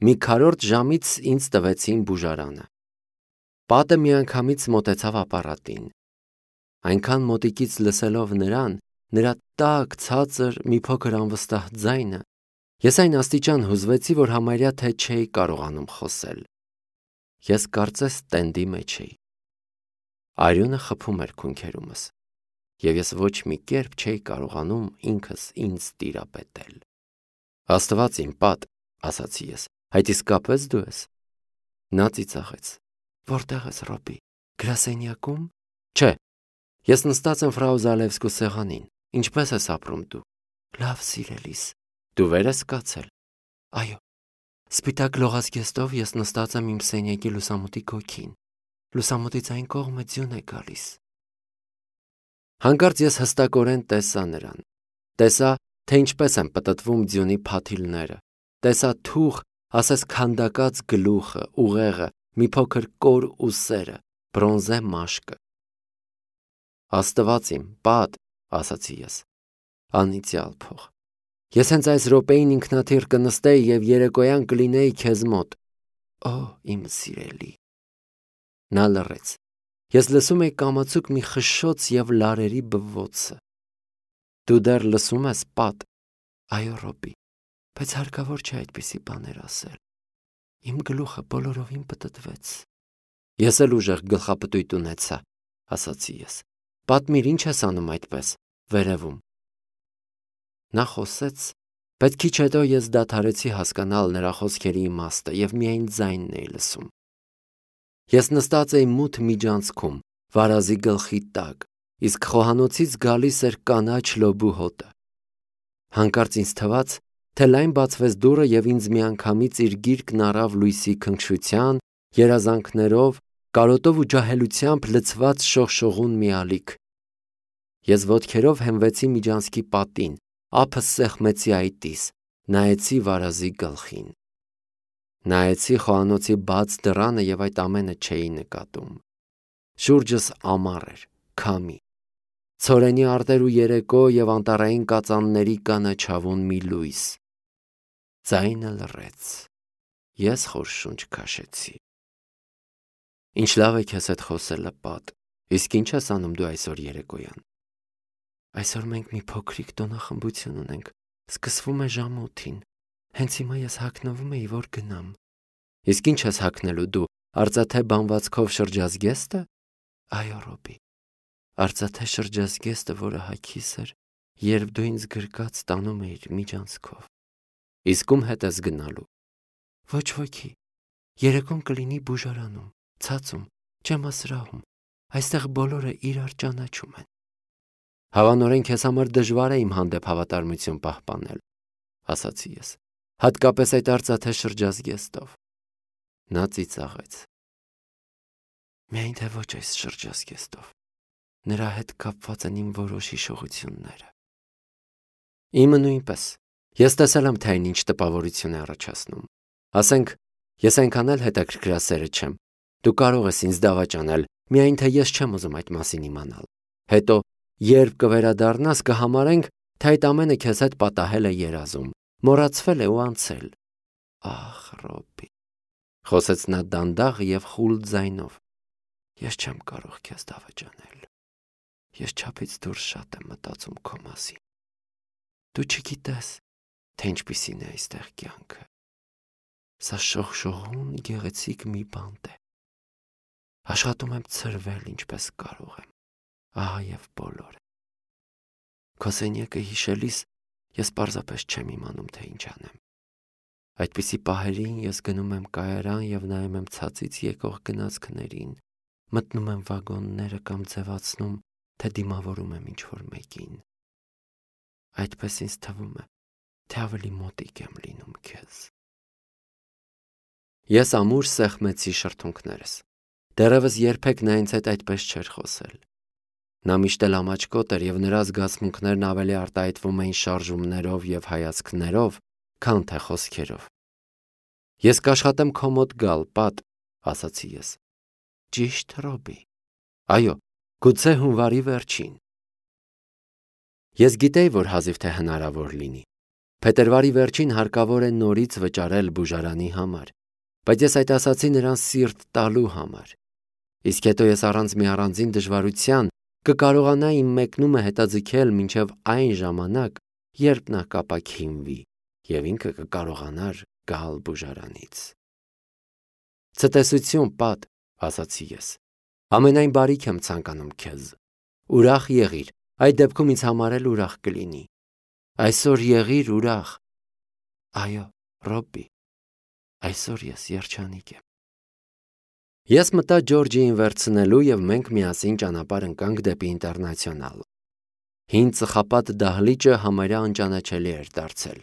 մի քառորդ ժամից ինձ տվեցին բուժարանը։ Պատը միանգամից մոտեցավ ապարատին։ Այնքան մոտիկից լսելով նրան, նրա տաք, ցածր, մի փոքր անվստահ ձայնը, ես այն աստիճան հուզվեցի, որ համարյա թե չէի կարողանում խոսել։ Ես կարծես տենդի մեջ էի։ Արյունը խփում էր քունքերումս, և ես ոչ մի կերպ չէի կարողանում ինքս ինձ տիրապետել։ Աստված իմ պատ, ասացի ես, այդ իսկապես դու ես։ Նա ծիծաղեց։ Որտեղ ես, Ռոբի, գրասենյակում։ Չէ, ես նստած եմ ֆրау Զալևսկու սեղանին։ Ինչպես ես ապրում դու։ Լավ, սիրելիս, դու վեր ես կացել։ Այո, սպիտակ լողազգեստով ես նստած եմ իմ սենյակի լուսամուտի գոգին։ Լուսամուտից այն կողմը ձյուն է գալիս։ Հանկարծ ես հստակորեն տեսա նրան։ Տեսա, թե ինչպես են պտտվում ձյունի փաթիլները։ Տեսա թուղ, ասես քանդակած գլուխը, ուղեղը, մի փոքր կոր ուսերը, բրոնզե մաշկը։ Աստված իմ, պատ, ասացի ես։ Անիծյալ փող։ Ես հենց այս րոպեին ինքնաթիռ կնստեի և երեկոյան կլինեի քեզ մոտ։ Օ, իմ սիրելի։ Նա լռեց։ Ես լսում էի կամացուկ մի խշշոց և լարերի բվոցը։ Դու դեռ լսում ես, պատ։ Այո, Ռոբի, բայց հարկավոր չէ այդպիսի բաներ ասել։ Իմ գլուխը բոլորովին պտտվեց։ Ես էլ ուժեղ գլխապտույտ ունեցա, ասացի ես։ Պատմիր, ինչ ես անում այդպես, վերևում։ Նա խոսեց, բայց քիչ հետո ես դադարեցի հասկանալ նրա խոսքերի իմաստը և միայն ձայնն էի լսում։ Ես նստած էի մութ միջանցքում, վարազի գլխի տակ, իսկ խոհանոցից գալիս էր կանաչ լոբու հոտը։ Հանկարծ ինձ թվաց, թե լայն բացվեց դուռը և ինձ միանգամից իր գիրկն առավ լույսի քնքշության, երազանքներով, կարոտով ու ջահելությամբ լցված շողշողուն մի ալիք։ Ես ոտքերով հենվեցի միջանցքի պատին, ափս սեղմեցի այտիս, նայեցի վարազի գլխին։ Նայեցի խոհանոցի բաց դռանը և այդ ամենը չէի նկատում։ Շուրջս ամառ էր, քամի, ցորենի արտեր ու երեկո և անտառային կածանների կանաչավուն մի լույս։ Ձայնը լռեց։ Ես խոր շունչ քաշեցի։ Ինչ լավ է քեզ հետ խոսելը, պատ։ Իսկ ինչ ես անում դու այսօր երեկոյան։ Այսօր մենք մի փոքրիկ տոնախմբություն ունենք։ Սկսվում է ժամը 8-ին։ Հենց հիմա ես հագնվում էի, որ գնամ։ Իսկ ինչ ես հագնելու դու, արծաթե բանվածքով շրջազգեստը։ Այո, Ռոբի, արծաթե շրջազգեստը, որը հագիս էր, երբ դու ինձ գրկած տանում էիր միջանցքով։ Իսկ ում հետ ես գնալու։ Ոչ ոքի։ Երեկոն կլինի բուժարանում, ցածում, ջերմասրահում։ Այստեղ բոլորը իրար ճանաչում են։ Հավանորեն քեզ համար դժվար է իմ հանդեպ հավատարմություն պահպանել, ասացի ես, հատկապես այդ արծաթե շրջազգեստով։ Նա ծիծաղեց։ Միայն թե ոչ այս շրջազգեստով։ Նրա հետ կապված են իմ որոշ հիշողությունները։ Իմը նույնպես։ Ես տեսել եմ, թե այն ինչ տպավորություն է առաջացնում։ Ասենք, ես այնքան էլ հետաքրքրասերը չեմ։ Դու կարող ես ինձ դավաճանել, միայն թե ես չեմ ուզում այդ մասին իմանալ։ Հետո, երբ կվերադառնաս, կհամարենք, թե այդ ամենը քեզ հետ պատահել է երազում, մոռացվել է ու անցել։ Ախ, Ռոբի, խոսեց նա դանդաղ և խուլ ձայնով։ Ես չեմ կարող քեզ դավաճանել։ Ես չափից դուրս շատ եմ մտածում քո մասին։ Դու չգիտես, թե ինչպիսին է այստեղ կյանքը։ Սա շողշողուն գեղեցիկ մի բանտ է։ Աշխատում եմ ցրվել ինչպես կարող եմ։ Ահա և բոլորը։ Քո սենյակը հիշելիս ես պարզապես չեմ իմանում, թե ինչ անեմ։ Այդպիսի պահերին ես գնում եմ կայարան և նայում եմ ցածից եկող գնացքներին, մտնում եմ վագոնները կամ ձևացնում, թե դիմավորում եմ ինչ-որ մեկին։ Այդպես ինձ թվում է, թե ավելի մոտիկ եմ լինում քեզ։ Ես ամուր սեղմեցի շրթունքներս։ Դեռևս երբեք նա ինձ հետ այդպես չէր խոսել։ Նա միշտ էլ ամաչկոտ էր և նրա զգացմունքներն ավելի արտահայտվում էին շարժումներով և հայացքներով, քան թե խոսքերով։ Ես կաշխատեմ քո մոտ գալ, պատ, ասացի ես։ Ճիշտ, Ռոբի։ Այո, գուցե հունվարի վերջին։ Ես գիտեի, որ հազիվ թե հնարավոր լինի։ Փետրվարի վերջին հարկավոր է նորից վճարել բուժարանի համար, բայց ես այդ ասացի նրան սիրտ տալու համար։ Իսկ հետո ես առանց մի առանձին դժվարության կկարողանայի իմ մեկնումը հետաձգել մինչև այն ժամանակ, երբ նա կապաքինվի, և ինքը կկարողանար գալ բուժարանից։ Ցտեսություն, պատ, ասացի ես։ Ամենայն բարիք եմ ցանկանում քեզ։ Ուրախ եղիր, այդ դեպքում ինձ համար էլ ուրախ կլինի։ Այսօր եղիր ուրախ։ Այո, Ռոբբի, այսօր ես երջանիկ եմ։ Ես մտա Ջորջիին վերցնելու և մենք միասին ճանապարհ ընկանք դեպի Ինտերնացիոնալ։ Հին ծխապատ դահլիճը համարյա անճանաչելի էր դարձել։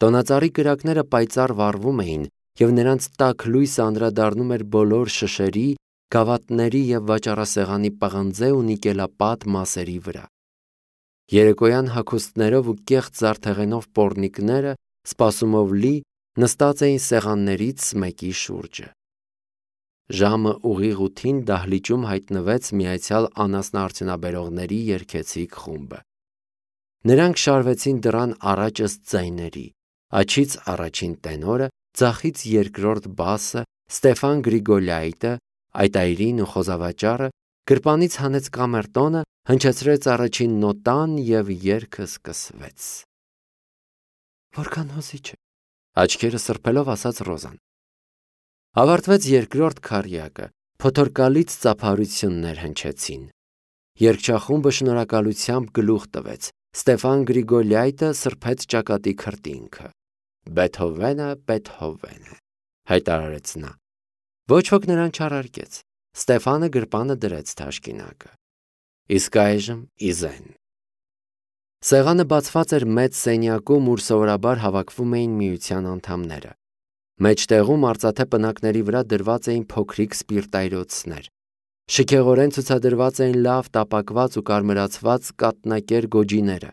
Տոնածառի կրակները պայծառ վառվում էին, և նրանց տաք լույսը անդրադառնում էր բոլոր շշերի, գավաթների և վաճառասեղանի պղնձե ու նիկելապատ մասերի վրա։ Երեկոյան հագուստներով ու կեղտ զարդեղենով պոռնիկները, սպասումով լի, նստած էին սեղաններից մեկի շուրջը։ Ժամը ուղիղ 8-ին դահլիճում հայտնվեց միացյալ անասնաարդյունաբերողների երգեցիկ խումբը։ Նրանք շարվեցին դռան առաջ ըստ ձայների, աջից առաջին տենորը, ձախից երկրորդ բասը, Ստեֆան Գրիգոլյայտը, այտայրին ու խոզավաճառը, գրպանից հանեց կամերտոնը, հնչեցրեց առաջին նոտան և երգը սկսվեց։ Որքան հոզիչ է, աչքերը սրբելով ասաց Ռոզան։ Ավարտվեց երկրորդ քառյակը, փոթորկալից ծափարություններ հնչեցին։ Երգչախումբը շնորհակալությամբ գլուխ տվեց, Ստեֆան Գրիգոլյայտը սրբեց ճակատի քրտինքը։ Բեթհովենը, Բեթհովենը, հայտարարեց նա։ Ոչ ոք նրան չառարկեց։ Ստեֆանը գրպանը դրեց թաշկինակը։ Իսկ այժմ իզեն։ Սեղանը բացված էր մեծ սենյակում, ուր սովորաբար հավաքվում էին միության անդամները։ Մեջտեղում արծաթե պնակների վրա դրված էին փոքրիկ սպիրտայրոցներ։ Շքեղորեն ցուցադրված էին լավ տապակված ու կարմրացված կաթնակեր գոջիները։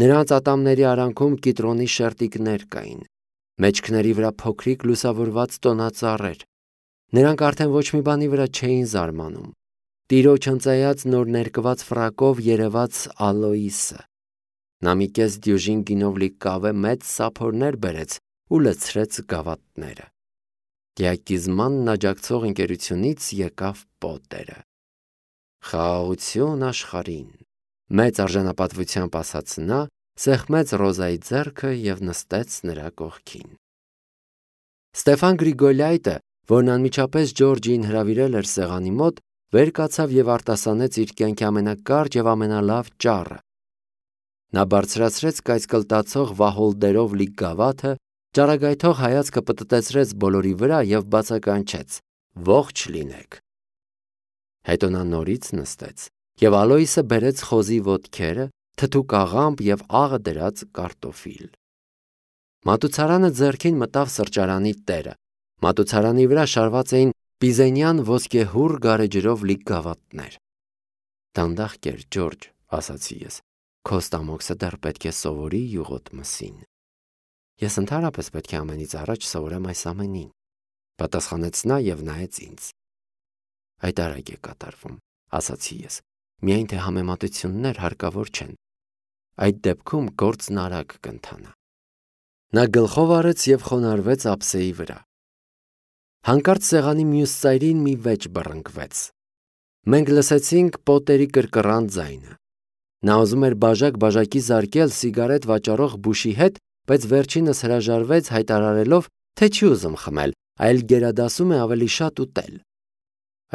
Նրանց ատամների արանքում կիտրոնի շերտիկներ կային։ Մեջքների վրա փոքրիկ լուսավորված տոնածառեր։ Նրանք արդեն ոչ մի բանի վրա չէին զարմանում։ Տիրոջ հնձայած նոր ներկված ֆրակով երևաց Ալոիսը։ Նա մի կես դյուժին գինով լի կավե մեծ սափորներ բերեց ու լցրեց գավաթները։ Դիակիզմանն աջակցող ընկերությունից եկավ Պոտերը։ Խաղաղություն աշխարհին, մեծ արժանապատվությամբ ասաց նա, սեղմեց Ռոզայի ձեռքը և նստեց նրա կողքին։ Ստեֆան Գրիգոլյայտը, որն անմիջապես Ջորջիին հրավիրել էր սեղանի մոտ, վեր կացավ և արտասանեց իր կյանքի ամենակարճ և ամենալավ ճառը։ Նա բարձրացրեց կայծկլտացող վահոլդերով լի գավաթը, ճառագայթող հայացքը պտտեցրեց բոլորի վրա և բացականչեց. Ողջ լինեք։ Հետո նա նորից նստեց, և Ալոիսը բերեց խոզի ոտքերը, թթու կաղամբ և աղը դրած կարտոֆիլ։ Մատուցարանը ձեռքին մտավ սրճարանի տերը։ Մատուցարանի վրա շարված էին պիզենյան ոսկեհուռ գարեջրով լի գավաթներ։ Դանդաղ կեր, Ջորջ, ասացի ես, քո ստամոքսը դեռ պետք է սովորի յուղոտ մսին։ Ես ընդհանրապես պետք է ամենից առաջ սովորեմ այս ամենին, պատասխանեց նա և նայեց ինձ։ Այդ արագ է կատարվում, ասացի ես, միայն թե համեմատություններ հարկավոր չեն։ Այդ դեպքում գործն արագ կընթանա։ Նա գլխով արեց և խոնարհվեց ափսեի վրա։ Հանկարծ սեղանի մյուս ծայրին մի վեճ բռնկվեց։ Մենք լսեցինք Պոտերի կրկռան ձայնը։ Նա ուզում էր բաժակ-բաժակի զարկել սիգարետ վաճառող Բուշի հետ, բայց վերջինս հրաժարվեց, հայտարարելով, թե չի ուզում խմել, այլ գերադասում է ավելի շատ ուտել։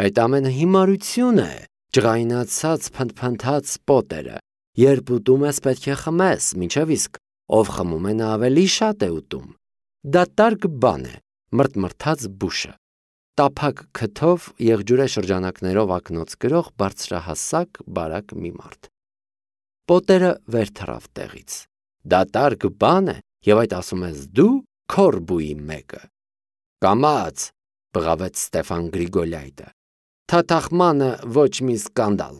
Այդ ամենը հիմարություն է, ջղայնացած փնթփնթաց Պոտերը։ Երբ ուտում ես, պետք է խմես, մինչև իսկ ով խմում է, նա ավելի շատ է ուտում։ Դատարկ բան է, մրթմրթաց Բուշը։ Տափակ քթով եղջյուրե շրջանակներով ակնոց կրող բարձրահասակ բարակ մի մարդ։ Պոտերը վեր թռավ տեղից։ Դատարկ բան է, և այդ ասում ես դու, քորբուի մեկը։ Կամաց, բղավեց Ստեֆան Գրիգոլյայտը։ Թաթախմանը ոչ մի սկանդալ։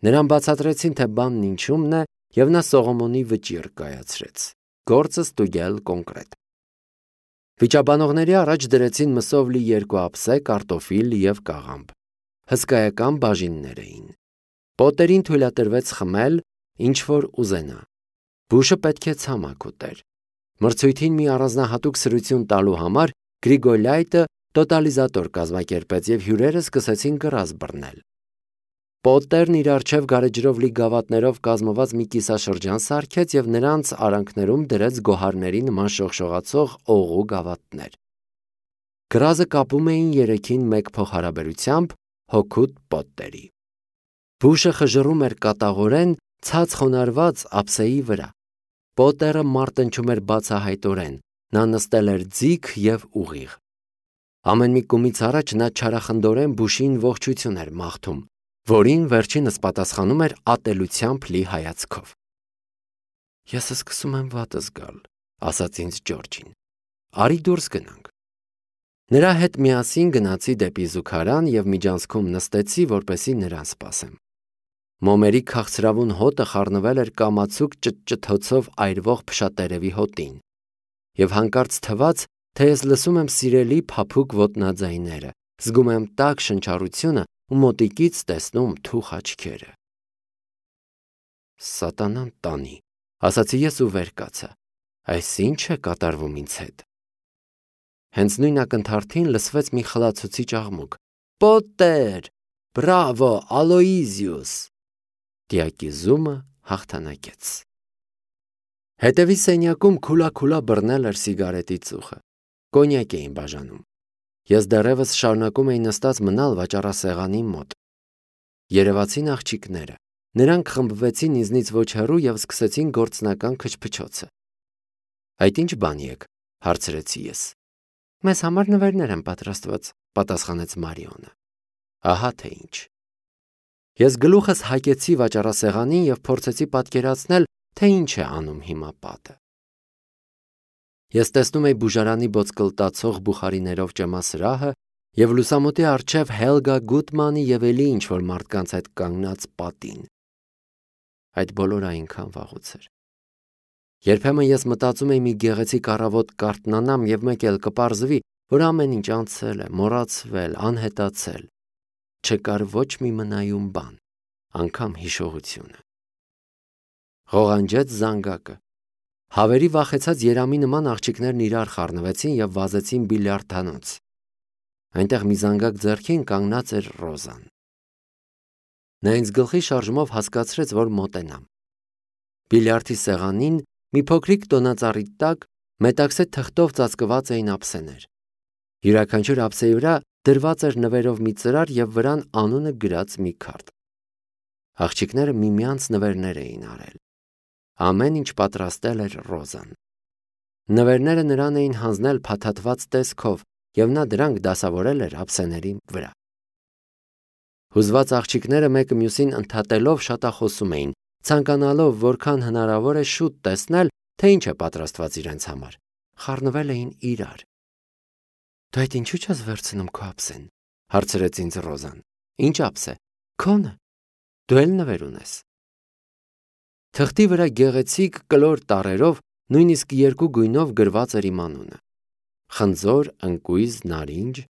Նրան բացատրեցին, թե բանն ինչումն է, և նա Սողոմոնի վճիռ կայացրեց։ Գործը ստուգել կոնկրետ։ Վիճաբանողների առաջ դրեցին մսով լի 2 ափսե, կարտոֆիլ և կաղամբ։ Հսկայական բաժիններ էին։ Պոտերին թույլատրվեց խմել, ինչ որ ուզենա։ Բուշը պետք է ցամաք ուտեր։ Մրցույթին մի առանձնահատուկ սրություն տալու համար Գրիգոլյայտը տոտալիզատոր կազմակերպեց եւ հյուրերը սկսեցին կռազ բռնել։ Պոտերն իր առջև գարեջրով լի գավաթներով կազմված մի կիսաշրջան սարքեց եւ նրանց արանքներում դրեց գոհարների նման շողշողացող օղու գավաթներ։ Կռազը կապում էին երեքին մեկ փոխհարաբերությամբ հոգուտ Պոտերի։ Բուշը խժռում էր կատաղորեն ցած խոնարհված ափսեի վրա։ Պոտերը մարտնչում էր բացահայտորեն, նա նստել էր ձիգ եւ ուղիղ։ Ամեն մի կումից առաջ նա չարախնդորեն Բուշին ողջություն էր մաղթում, որին վերջինս պատասխանում էր ատելությամբ լի հայացքով։ Ես սկսում եմ վատը զգալ, ասաց ինձ Ջորջին։ Արի դուրս գնանք։ Նրա հետ միասին գնացի դեպի զուգարան եւ միջանցքում նստեցի, որպեսզի նրան սպասեմ։ Մոմերի քաղցրավուն հոտը խառնվել էր կամացուկ ճտճթոցով այրվող փշատերևի հոտին, եւ հանկարծ թվաց, թե ես լսում եմ սիրելի փափուկ ոտնաձայները, զգում եմ տաք շնչառությունը ու մոտիկից տեսնում թուխ աչքերը։ Սատանան տանի, ասացի ես ու վեր կացա։ Այս ի՞նչ է կատարվում ինձ հետ։ Հենց նույն ակնթարթին լսվեց մի խլացուցիչ աղմուկ. Պոտեր, բրավո, Ալոիզիուս։ Դիակիզումը հաղթանակեց։ Հետևի սենյակում քուլա բռնել էր սիգարետի ծուխը։ Կոնյակ էին բաժանում։ Ես դեռևս շարունակում էի նստած մնալ վաճառասեղանի մոտ։ Երևացին աղջիկները։ Նրանք խմբվեցին ինձնից ոչ հեռու եւ սկսեցին գործնական քչփչոցը։ Այդ ինչ բան եք, հարցրեցի ես։ Մեզ համար նվերներ են պատրաստված, պատասխանեց Մարիոնը։ Ահա թե ինչ։ Ես գլուխս հակեցի վաճառասեղանին եւ փորձեցի պատկերացնել, թե ինչ է անում հիմա պատը։ Ես տեսնում էի բուժարանի բոցկլտացող բուխարիներով ճեմասրահը եւ լուսամուտի առջև Հելգա Գուտմանի եւ էլի ինչ-որ մարդկանց հետ կանգնած պատին։ Այդ բոլորը այնքան վաղուց էր։ Երբեմն ես մտածում էի մի գեղեցիկ առավոտ կարթնանամ եւ մեկ էլ կպարզվի, որ ամեն ինչ անցել է, մոռացվել, անհետացել։ Չկար ոչ մի մնայուն բան, անգամ հիշողությունը։ Ղողանջեց զանգակը։ Հավերի վախեցած երամի նման աղջիկներն իրար խառնվեցին եւ վազեցին բիլիարդանոց։ Այնտեղ մի զանգակ ձեռքին կանգնած էր Ռոզան։ Նա ինձ գլխի շարժումով հասկացրեց, որ մոտենամ։ Բիլիարդի սեղանին մի փոքրիկ տոնածառի տակ մետաքսե թղթով ծածկված էին ափսեներ։ Յուրաքանչյուր ափսեի վրա դրված էր նվերով մի ծրար եւ վրան անունը գրած մի քարտ։ Աղջիկները միմյանց նվերներ էին արել։ Ամեն ինչ պատրաստել էր Ռոզան։ Նվերները նրան էին հանձնել փաթաթված տեսքով եւ նա դրանք դասավորել էր ափսեների վրա։ Հուզված աղջիկները մեկը մյուսին ընդհատելով շատախոսում էին, ցանկանալով որքան հնարավոր է շուտ տեսնել, թե ինչ է պատրաստված իրենց համար։ Խառնվել էին իրար։ Դու այդ ինչու՞ չես վերցնում քո ափսեն, հարցրեց ինձ Ռոզան։ Ինչ ափսե։ Քոնը։ Դու էլ նվեր ունես։ Թղթի վրա գեղեցիկ կլոր տառերով, նույնիսկ երկու գույնով գրված էր իմ անունը։ Խնձոր, ընկույզ, նարինջ,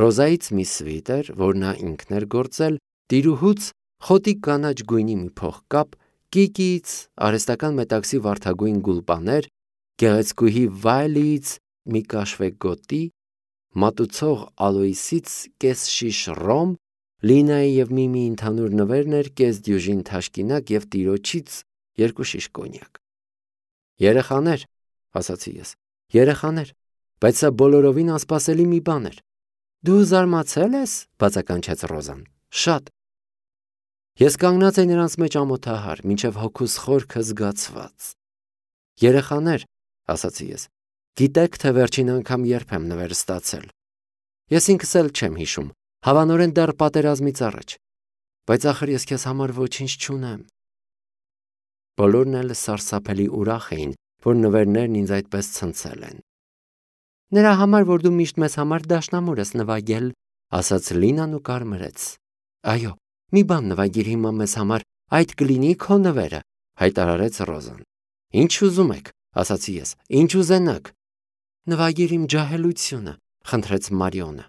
Ռոզայից մի սվիտեր, որ նա ինքն էր գործել, տիրուհուց խոտի կանաչ գույնի մի փողկապ, Կիկից արհեստական մետաքսի վարդագույն գուլպաներ, գեղեցկուհի Վայլիից մի կաշվե գոտի, մատուցող Ալոիսից կես շիշ ռոմ, Լինայի եւ Միմի ընդհանուր նվերներ, կես դյուժին թաշկինակ եւ տիրոջից երկու շիշ կոնյակ։ Երեխաներ, ասացի ես, երեխաներ, բայց սա բոլորովին անսպասելի մի բան էր։ Դու զարմացել ես, բացականչեց Ռոզան։ Շատ։ Ես կանգնած էի նրանց մեջ ամոթահար, մինչև հոգուս խորքը զգացված։ Երեխաներ, ասացի ես, գիտեք, թե վերջին անգամ երբ եմ նվեր ստացել։ Ես ինքս էլ չեմ հիշում, հավանորեն դեռ պատերազմից առաջ, բայց ախր ես քեզ համար ոչինչ չունեմ։ Բոլորն էլ սարսափելի ուրախ էին, որ նվերներն ինձ այդպես ցնցել են։ Նրա համար, որ դու միշտ մեզ համար դաշնամուր ես նվագել, ասաց Լինան ու կարմրեց։ Այո, մի բան նվագիր հիմա մեզ համար, այդ կլինի քո նվերը, հայտարարեց Ռոզան։ Ինչ ուզում եք, ասացի ես, ինչ ուզենաք։ Նվագիր իմ ջահելությունը, խնդրեց Մարիոնը։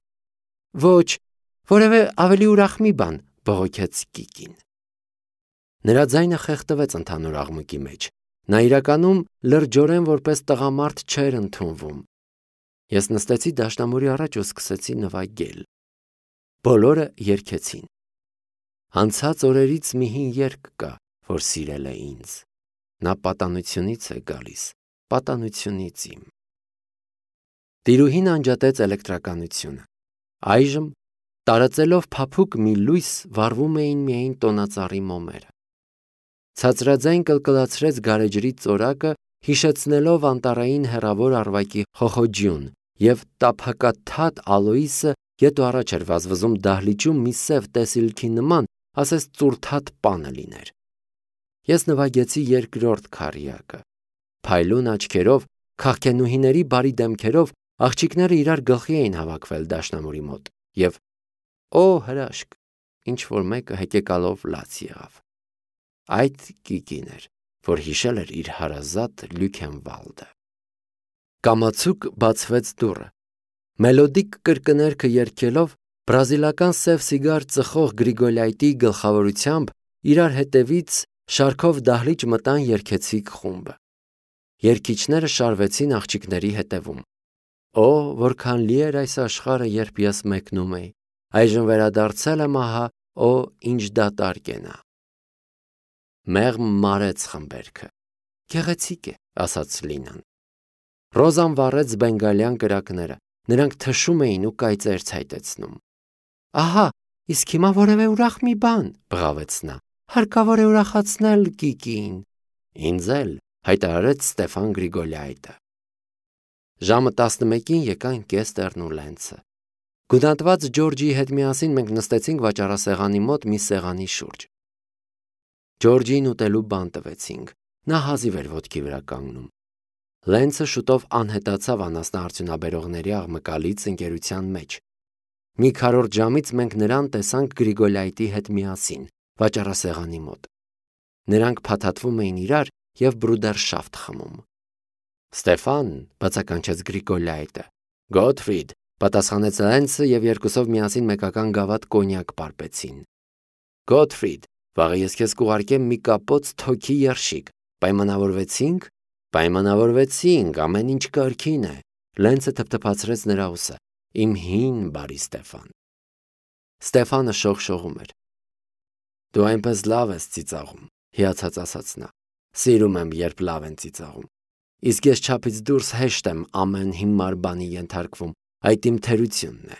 Ոչ, որևէ ավելի ուրախ մի բան, բողոքեց Կիկին։ Նրա ձայնը խեղդվեց ընդհանուր աղմուկի մեջ։ Նա իրականում լրջորեն որպես տղամարդ չէր ընդունվում։ Ես նստեցի դաշնամուրի առաջ ու սկսեցի նվագել։ Բոլորը երգեցին։ Անցած օրերից մի հին երգ կա, որ սիրել է ինձ։ Նա պատանությունից է գալիս, պատանությունից իմ։ Տիրուհին անջատեց էլեկտրականությունը։ Այժմ, տարածելով փափուկ մի լույս, վառվում էին միայն տոնածառի մոմերը։ Ցածրաձայն կլկլացրեց գարեջրի ծորակը, հիշեցնելով անտառային հեռավոր առվակի խոխոջյուն, և տափակաթաթ Ալոիսը ետ ու առաջ էր վազվզում դահլիճում մի սև տեսիլքի նման, ասես ծուրթաթ պանը լիներ։ Ես նվագեցի երկրորդ քառյակը։ Փայլուն աչքերով, քաղքենուհիների բարի դեմքերով աղջիկները իրար գլխի էին հավաքվել դաշնամուրի մոտ, և օ հրաշք, ինչ-որ մեկը հեկեկալով լաց եղավ։ Այդ Կիկին էր, որ հիշել էր իր հարազատ Լյուքենվալդը։ Կամացուկ բացվեց դուռը։ Մելոդիկ կրկներգը երգելով, բրազիլական սև սիգար ծխող Գրիգոլայտի գլխավորությամբ իրար հետևից շարքով դահլիճ մտան երգեցիկ խումբը։ Երգիչները շարվեցին աղջիկների հետևում։ Օ, որքան լի էր այս աշխարհը, երբ ես մեկնում էի, այժմ վերադարձել եմ ահա, օ, ինչ դատարկ է նա։ Մեղմ մարեց խմբերքը։ Գեղեցիկ է, ասաց Լինան։ Ռոզան վառեց բենգալյան կրակները, նրանք թշում էին ու կայծեր ցայտեցնում։ Ահա, իսկ հիմա որևէ ուրախ մի բան, բղավեց նա։ Հարկավոր է ուրախացնել Կիկին։ Ինձ էլ, հայտարարեց Ստեֆան Գրիգոլյայտը։ Ժամը 11-ին եկան Կեստերն ու Լենցը։ Գունատված Ջորջիի հետ միասին մենք նստեցինք վաճառասեղանի մոտ մի սեղանի շուրջ։ Ջորջին ուտելու բան տվեցինք։ Նա հազիվ էր ոտքի վրա կանգնում։ Լենցը շուտով անհետացավ անասնաարդյունաբերողների աղմկալից ընկերության մեջ։ Մի քառորդ ժամից մենք նրան տեսանք Գրիգոլայտի հետ միասին, վաճառասեղանի մոտ։ Նրանք փաթաթվում էին իրար և բրուդերշաֆտ խմում։ Ստեֆան, բացականչեց Գրիգոլայտը։ Գոթֆրիդ, պատասխանեց Լենցը և երկուսով միասին մեկական գավաթ կոնյակ պարպեցին։ Գոթֆրիդ, վաղը ես քեզ կուղարկեմ մի կապոց թոքի երշիկ։ Պայմանավորվեցինք։ Պայմանավորվեցինք, ամեն ինչ կարգին է։ Լենցը թփթփացրեց նրա ուսը։ Իմ հին բարի Ստեֆան։ Ստեֆանը շողշողում էր։ Դու այնպես լավ ես ծիծաղում, հիացած ասաց նա։ Սիրում եմ, երբ լավ են ծիծաղում։ Իսկ ես չափից դուրս հեշտ եմ ամեն հիմար բանի ենթարկվում, այդ իմ թերությունն է։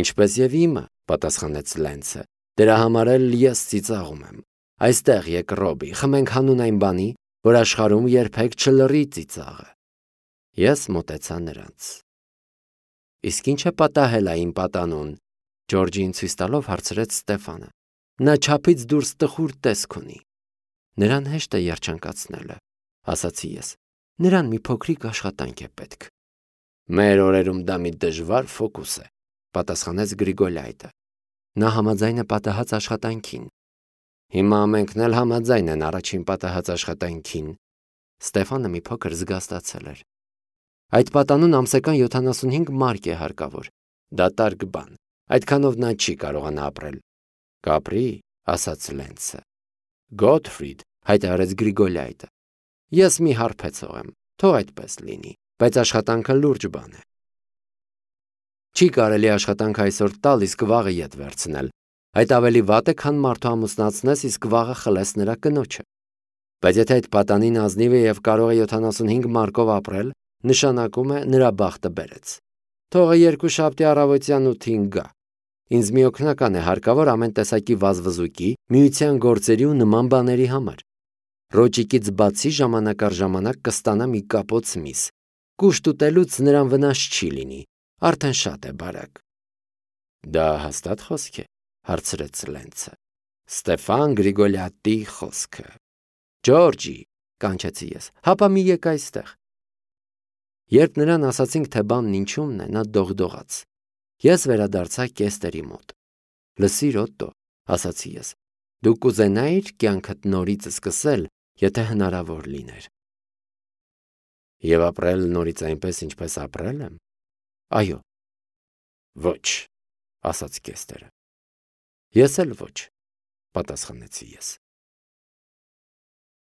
Ինչպես և իմը, պատասխանեց Լենցը։ Դրա համար էլ ես ծիծաղում եմ։ Այստեղ եկ Ռոբի, խմենք հանուն այն բանի, որ աշխարհում երբեք չլռի ծիծաղը։ Ես մոտեցա նրանց։ Իսկ ինչ է պատահել այն պատանուն, Ջորջին ցույց տալով հարցրեց Ստեֆանը։ Նա չափից դուրս տխուր տեսք ունի։ Նրան հեշտ է երջանկացնելը, ասացի ես։ Նրան մի փոքրիկ աշխատանք է պետք։ Մեր օրերում դա մի դժվար ֆոկուս է, պատասխանեց Գրիգոլայտը։ Նա համաձայն է պատահած աշխատանքին։ Հիմա ամենքն էլ համաձայն են առաջին պատահած աշխատանքին։ Ստեֆանը մի փոքր զգաստացել էր։ Այդ պատանուն ամսական 75 մարկ է հարկավոր։ Դատարկ բան։ Այդքանով նա չի կարողանա ապրել։ Կապրի, ասաց Լենցը։ Գոթֆրիդ, հայտարարեց Գրիգոլայտը։ Ես մի հարբեցող եմ, թող այդպես լինի, բայց աշխատանքը լուրջ բան է։ Չի կարելի աշխատանք այսօր տալ, իսկ վաղը ետ վերցնել։ Այդ ավելի վատ է, քան մարդու ամուսնացնես, իսկ վաղը խլես նրա կնոջը։ Բայց եթե այդ պատանին ազնիվ է և կարող է 75 մարկով ապրել, նշանակում է նրա բախտը բերեց։ Թողը երկուշաբթի առավոտյան 8-ին գա։ Ինձ մի օգնական է հարկավոր ամեն տեսակի վազվզուկի, միության գործերի ու նման բաների համար։ Ռոճիկից բացի ժամանակ առ ժամանակ կստանա մի կապոց միս։ Կուշտ ուտելուց նրան վնաս չի լինի, արդեն շատ է բարակ։ Դա հաստատ խոսք է, հարցրեց Լենցը։ Ստեֆան Գրիգոլյատի խոսքը։ Ջորջի, կանչեցի ես, հապա մի եկ այստեղ։ Երբ նրան ասացինք, թե բանն ինչումն է, նա դողդողաց։ Ես վերադարձա Կեստերի մոտ։ Լսիր, Օտտո, ասացի ես, դու կուզենայիր կյանքդ նորից սկսել, եթե հնարավոր լիներ։ Եվ ապրել նորից այնպես, ինչպես ապրել եմ։ Այո։ Ոչ, ասաց Կեստերը։ Ես էլ ոչ, պատասխանեցի ես։